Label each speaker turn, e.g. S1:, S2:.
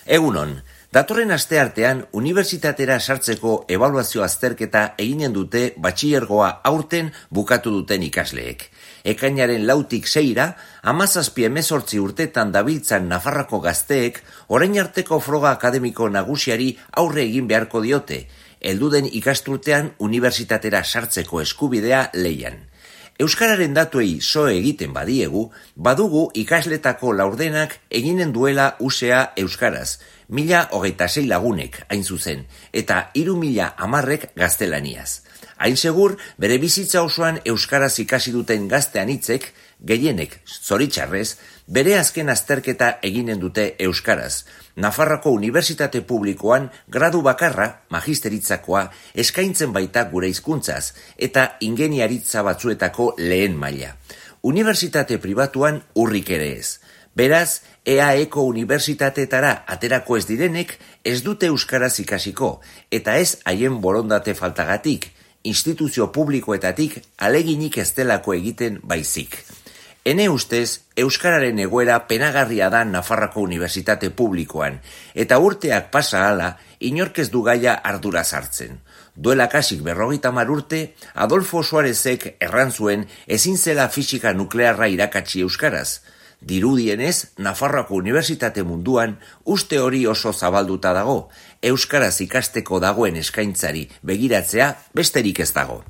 S1: Egunon, datorren asteartean unibertsitatera sartzeko ebaluazio azterketa eginen dute batxilergoa aurten bukatu duten ikasleek. Ekainaren 4tik 6ra, 17-18 urtetan dabiltzan Nafarroako gazteek orain arteko froga akademiko nagusiari aurre egin beharko diote, helduden ikasturtean unibertsitatera sartzeko eskubidea leian. Euskararen datuei so egiten badiegu, badugu ikasletako laurdenak eginen duela usea euskaraz, 1026 lagunek hain zuzen, eta 3010 gaztelaniaz. Hain segur, bere bizitza osoan euskaraz ikasi duten gaztean hitzek, gehienek, zoritxarrez, bere azken azterketa eginen dute euskaraz. Nafarroako Unibertsitate Publikoan gradu bakarra, magisteritzakoa, eskaintzen baita gure hizkuntzaz eta ingeniaritza batzuetako lehen maila. Unibertsitate pribatuan urrik ere ez. Beraz, EAEko unibertsitateetara aterako ez direnek ez dute euskaraz ikasiko, eta ez haien borondate faltagatik, instituzio publikoetatik aleginik ez delako egiten baizik. Ene ustez, euskararen egoera penagarria da Nafarroako Unibertsitate Publikoan, eta urteak pasa hala, inork ez du gaia arduraz hartzen. Duela kasik 50 urte, Adolfo Suarezek erran zuen ezin zela fisika nuklearra irakatsi euskaraz. Dirudienez, Nafarroako Unibertsitate munduan uste hori oso zabalduta dago, euskaraz ikasteko dagoen eskaintzari begiratzea besterik ez dago.